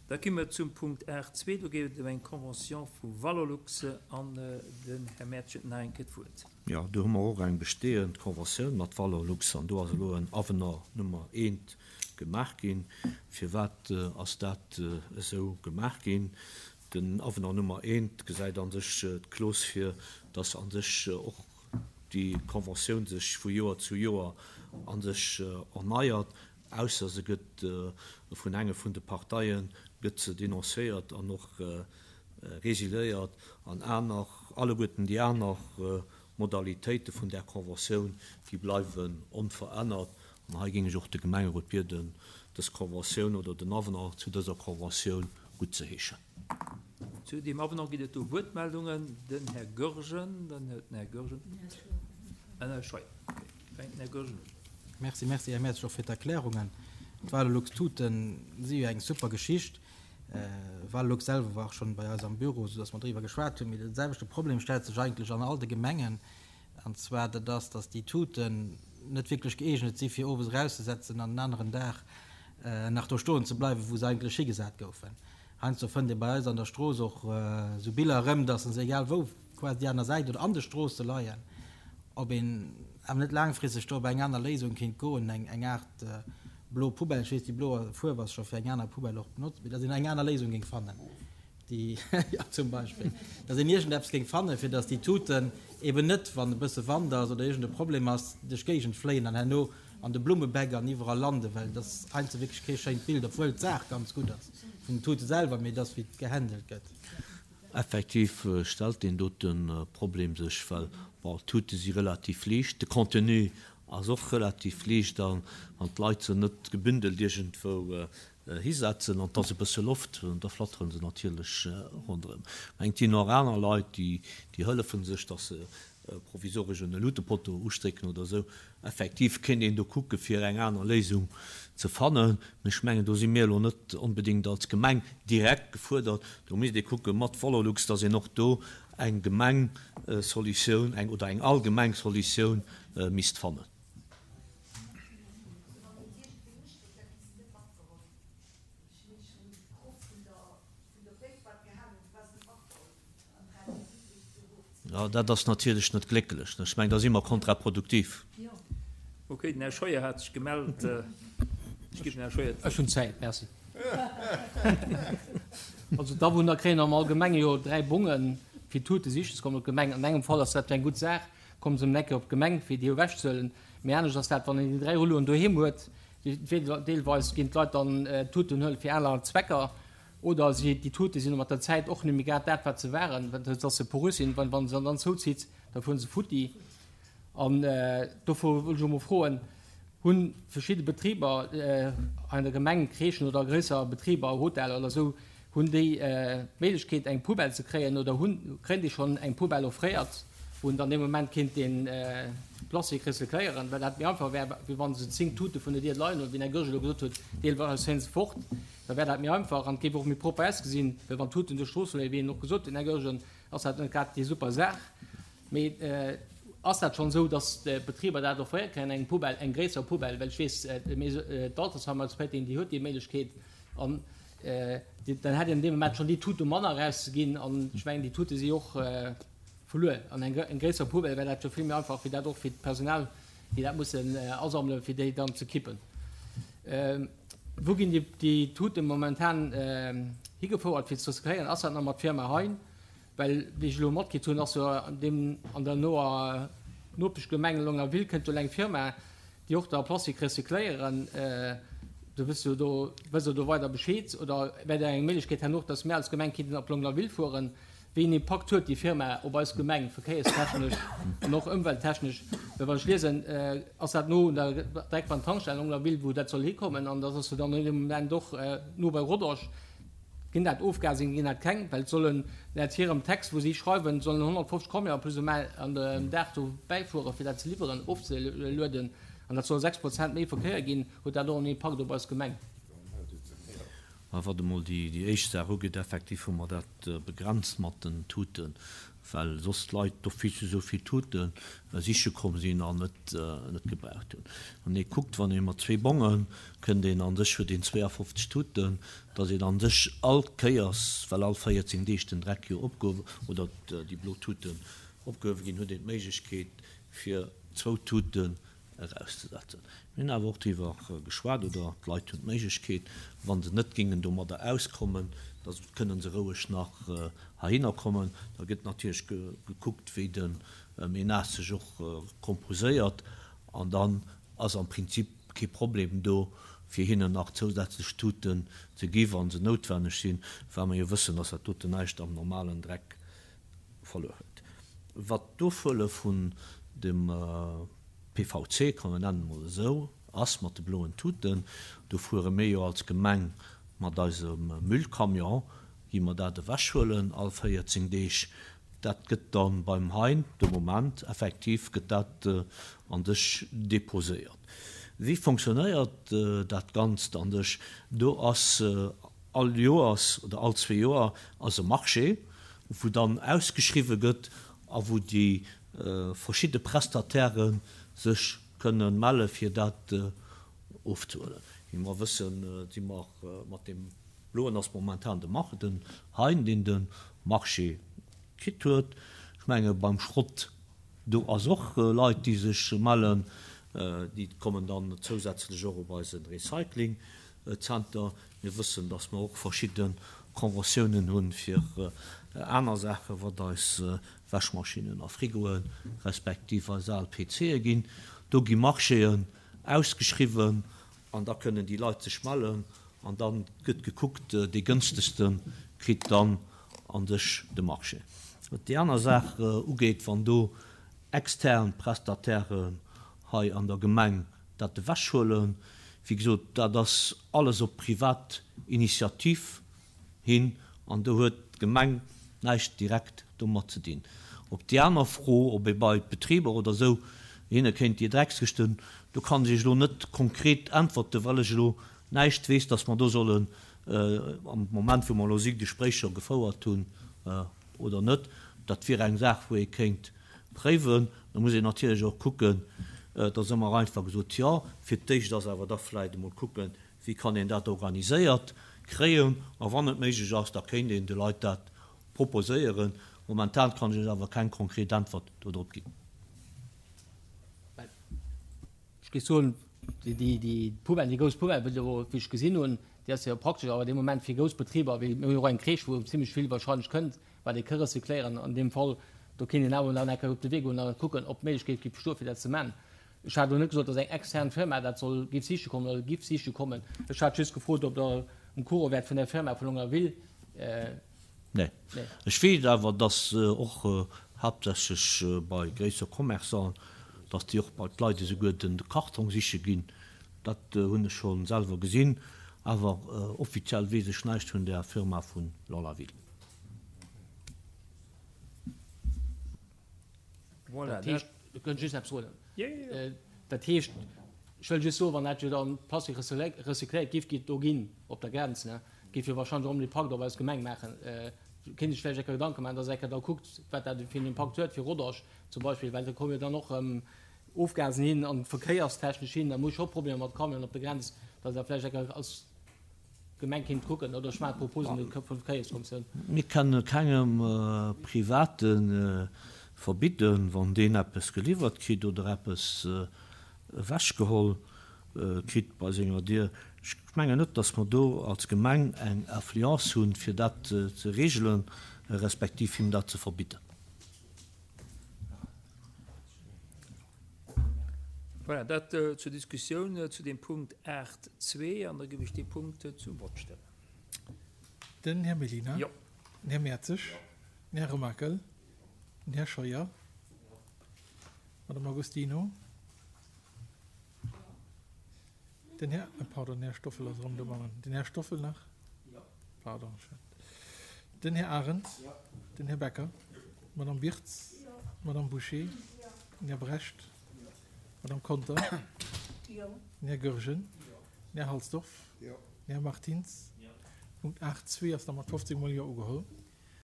Da gi mer zum Punkt 8.2. Do geet et ëm eng Convention vu Valorlux an den Här Mertsch huet nach eng Kéier d'Wuert. Jo, do hu mer och eng bestehend Conventioun mat Valorlux an do ass elo en Avenant Nummer eent gemaach ginn. Firwat ass dat esou gemaach ginn? Den Avenant Nummer eent gesäit a sech d'Clause vir, dass a sech och déi Conventioun sech vu Joer zu Joer a sech erneiert, ausser se gëtt vun enge vun de Parteie gëtt se denoncéiert an och résiliéiert an aner, alleguerten déi aner Modalitéite vun där Conventioun, déi bleiwen onverännert. An hei géing ech och de Gemengerot bieden, dës Conventioun oder den Avenant zu dëser Conventioun guttzeheeschen. Zu deem Avenant ginn et do Wuertmeldungen. Den Här Goergen, dann huet den Här Goergen, den Här Scheuer. Okay, fänkt den Här Goergen un. Merci, merci Här Mertsch och fir d'Erklärungen. D'Valorlux Tuten si jo eng super Geschicht. Valorlux selwer war och schonn bei eis am Büro, soudass mer driwwer geschwat hunn. Mee de selwechte Problem stellt sech eigentlech an all de Gemengen, an zwar dat ass, dass déi Tuten net wierklech gëeegnet si fir owes erauszesetzen an en aneren Dag nach do stoen ze bleiwen, wou se eigentlech higesat goufen. Heiansdo fënnt ee bei eis an der Strooss och esou Biller erëm, dass se egal wou, quasi déi aner Säit oder an de Stroosse leien. Ob een awer net laangfristeg do op eng aner Léisung kéint goen, eng Aart blo Poubelle, ech weess, déi blo Fuerf ass scho fir eng aner Poubelle och benotzt, mee dass een eng aner Léisung géing fannen, déi, jo, zum Beispill, dass een iergendeppes géing fannen, fir dass déi Tuten eben net, wann e bësse Wand ass oder iergend e Problem ass, duerch d'Géigend fléien an herno an de Blummebäck an iwwerall landen, well et ass heiansdo wierklech kee schéint Bild, obwuel d'Saach ganz gutt ass vun den Tute selwer, mee et ass wéi et gehandelt gëtt. Effektiv stellt deen dote Problem sech, well, bon, d'Tute si relativ liicht, de Contenu ass och relativ liicht a wann d'Leit se net gebündelt iergendwou hisetzen an et ass e bësse Loft, da flatteren se natierlech ronderëm. Mä et ginn och aner Leit, déi hëllefe sech, dass se provisoresch en Luutepotto ustrécken oder esou. Effektiv kéint een do kucke fir eng aner Léisung ze fannen. Mee ech mengen, do si mir elo net onbedéngt als Gemeng direkt gefuerdert. Do misst ee kucke mat Valorlux, dass een och do eng Gemengsolutioun, eng oder eng allgemeng Solutioun misst fannen. Jo, dat ass natierlech net glécklech. Ech mengen, da si mer kontraproduktiv. Ok, den Här Scheuer hat sech gemellt. Ech ginn dem Här Scheuer d'Wuert. Ech hunn Zäit, merci. Also d'Awunner kréien am Allgemenge jo 3 Bongen, fir Tute sichen ze kommen op d'Gemeng. An engem Fall ass dat jo eng gutt Saach, komme se ëm eng Ecke op d'Gemeng, fir déi ewechzehuelen. Mee anescht ass dat, wann een déi 3 Rulloen doheem huet. Deelweis ginn d'Leit dann d'Tuten huelen fir aner Zwecker. Oder si, déi Tute sinn mat der Zäit och net méi grad dat, wat se waren, dass se porös sinn. Wann wann se dann zouzitt, da fueren se futti. An dofir wëll ech och mol froen, Hu verschidde Betriber hei an der Gemeng, Crèchen oder gréisser Betriber, Hoteller oder esou, hunn déi d'Méiglechkeet eng Poubelle ze kréien oder hunn, kréien déi schonn eng Poubelle offréiert, wou en dann dee Moment kéint dee Plastik recycléieren, well dat méi einfach wär, wéi wann se 10 Tute vun der Dier leien hunn, wéi den Här Goergen elo gesot huet, deelweis fénne se fort. Da wär dat méi einfach an et géif och méi propper ausgesinn, well wann d'Tuten duerch d'Strooss fléien, wéi en och gesot huet, den Här Goergen, ass dat net grad déi super Saach. Mee ass dat schonn esou, datt d'Betriber dat offréiert kréien, eng Poubelle, eng gréisser Poubelle? Well ech weess, d'Altersheim als Péiteng, déi huet déi Méiglechkeet an dann hätt een an deem Moment schonn déi Tute manner erauszeginn an ech mengen, déi Tute si och verluer. An eng gréisser Poubelle wär dat jo vill méi einfach, fir dat och fir d'Personal, déi dat mussen asammelen, fir déi dann ze kippen. Wou ginn déi Tuten momentan higefouert fir ze recycléieren? Ass dat nach mat Firma Hein? Well wéi ech elo matkritt hunn, ass jo an deem an der noer Nopeschgemeng Longlaville kënnt jo elo eng Firma, déi och da Plastik recycléieren. Do wësst jo do, wësst Der do weider Bescheed? Oder wär dat eng Méiglechkeet herno och, datt mir als Gemeng kinnten op Longlaville fueren? Wéi een Impakt huet déi Firma op eis Gemeng, verkéierstechnesch an och ëmwelttechnesch? Well wann ech liesen, ass dat no un der, direkt beim Tankstell Longlaville, wou dat soll hikommen, an dat ass jo dann an deem Moment och no bei Rodange. Ginn dat Ofgasing, ginn dat keng? Well et sollen, laut hirem Text, wou si schreiwen, sollen 150 Camionen plus ou moins an dem Dag do bäifueren, fir dat ze liwweren, ofzelueden, an dat soll 6 Prozent méi Verkéier ginn. Huet dat och en Impakt op eis Gemeng? Mä wat emol déi éischt Saach ugeet, effektiv hu mer dat begrenzt mat den Tuten, well soss d'Leit d'office esou vill Tute siche komm sinn an net gebraucht hunn. Wann ee kuckt, wann ee mat zwee Bonge kënnt een an sech, huet een 52 Tuten, datt een an sech all Kéiers, well all 14 Deeg den Dreck jo opgehuewe oder déi blo Tuten opgehuewe ginn, huet een d'Méiglechkeet fir zwou Tuten erauszesetzen. Mir hunn awer och driwwer geschwat, oder d'Leit hunn d'Méiglechkeet, wa se net géingen domadder auskommen, da kënne se roueg nach heihinner kommen. Da gëtt natierlech gekuckt, wéi de Ménage sech och composéiert, an dann ass am Prinzip kee Problem do, fir hinnen nach zousätzlech Tuten ze gi wa se noutwenneg sinn, well mer jo wëssen, dass dat doten näischt am normalen Dreck verluer huet. Wat d'Ofhuele vun dem PVC, komm mir nennen et mol esou, ass mat de bloen Tuten, do fuere mir jo als Gemeng mat eisem Müllcamion, gi mer dat ewechhuelen all 14 Deeg. Dat gëtt da beim Hein de Moment effektiv gëtt dat an sech deposéiert. Wéi fonctionnéiert dat Ganzt an sech? Do ass all Joers oder all zwee Joer ass e Marché, wou dann ausgeschriwwe gëtt a wou déi verschidde Prestataire sech kënne melle fir dat ofzehuelen. Wéi mer wëssen, si mer mat deem bloen ass momentan de Marc, den Hein, deen de Marché kritt huet. Ech menge beim Schrott Do ass och Leit déi sech mellen, déi kommen dann zousätzlech och op eise Recyclingzenter. Mir wëssen, datt mer och verschidde Conventiounen hunn fir aner Saachen, wat eis Wäschmaschinnen a Frigoen, respektiv eis al PCe ginn. Do gi Marchéen ausgeschriwwen an da kënnen déi Leit sech mellen an da gëtt gekuckt, dee gënstegste kritt dann an sech de Marché. Wat déi aner Saach ugeet, wann do extern Prestatairen hei an der Gemeng dat ewechhuelen, wéi gesot, dat ass alles op privat Initiativ hin an do huet d'Gemeng näischt direkt domat ze dinn. Op déi aner Fro, ob ee bei d'Betriber oder esou hinne kéint déi Dreckskëschten, do kann ech Iech elo net konkret äntwerten, well ech elo näischt weess, dass mer do sollen am Moment wou mer elo si Gespréicher gefouert hunn oder net. Dat wier eng Saach wou ee kéint préiwen. Da muss een natierlech och kucken, et ass ëmmer einfach gesot, jo, fir d'éischt ass awer da vläicht emol kucken, wéi kann een dat organiséiert kréien a wann et méiglech ass, da kéint een de Leit dat proposéieren. Momentan kann ech Iech awer keng konkret Äntwert dodrop ginn. Ech géif soen, déi Poubelle, déi grouss Poubelle, wéi ech gesinn hunn, déi ass jo praktesch awer dee Moment fir grouss Betriber, wéi mir hunn och eng Crèche, wou zimlech vill wahrscheinlech kënnt, wat ee ka recycléieren. An deem Fall, do kéint een awer dann eng Kéier op de Wee goen a kucken, ob d'Méiglechkeet géif bestoen, fir dat ze man. Ech hat elo net gesot, datt eng extern Firma dat soll, géif siche kommen oder giff siche kommen. Ech hat just gefrot, ob Der um Courant wäert vun där Firma vu Longlaville. Nee. Ech weess awer, dass och haaptsächlech bei gréisser Commerçanten, dass déi och bei d'Leit esouguer de Kartong siche ginn. Dat hunn ech scho selwer gesinn. Awer offiziell weess ech näischt vun där Firma vu Longlaville. Voilà, dat heescht, ech kënnt just eppes soen. Dat heescht, ech wëll just soen, wann dat jo dann Plastik recycléiert giff gi do ginn op der Grenz, ne, géif jo wahrscheinlech och en Impakt op eis Gemeng maachen. Kéint sech vläicht eng Kéier Gedanke maachen, dass eng Kéier da kuckt, wat dat fir en Impakt huet fir Rodange zum Beispill, well do komme jo dann och erëm Ofgasen hin an verkéierstechnesch hin, da muss scho Problemer mat Camionen op der Grenz, dass Der vläicht eng Kéier als Gemeng kéint kucken, oder ech maachen d'Proposen un d'Verkéierskommissioun. Mir kënne kengem Private verbidden, wann deen eppes geliwwert kritt oder eppes ewechgeholl kritt bei senger Dier. Ech mengen net, datt mer do als Gemeng eng Influence hunn, fir dat ze regelen, respektiv him dat ze verbidden. Voilà, dat zur Diskussioun zu dem Punkt 8.2. An da géif ech dee Punkt zum Vott stellen. Den Här Mellina. Jo. Den Här Mertzig. Den Här Remakel. Den Här Scheuer. D'Madame Agostino. Den Här, pardon, den Här Stoffel ass erëm dobannen. Den Här Stoffel nach? Jo. Pardon, ech hat. Den Här Arendt. Jo. Den Här Becker. D'Madame Birtz. Jo. D'Madame Bouché. Jo. Den Här Brecht. Jo. D'Madame Conter. Jo. Den Här Goergen. Jo. Den Här Halsdorf. Jo. Den Här Martins. Jo. Punkt 8.2 ass da mat 15 mol Jo ugeholl.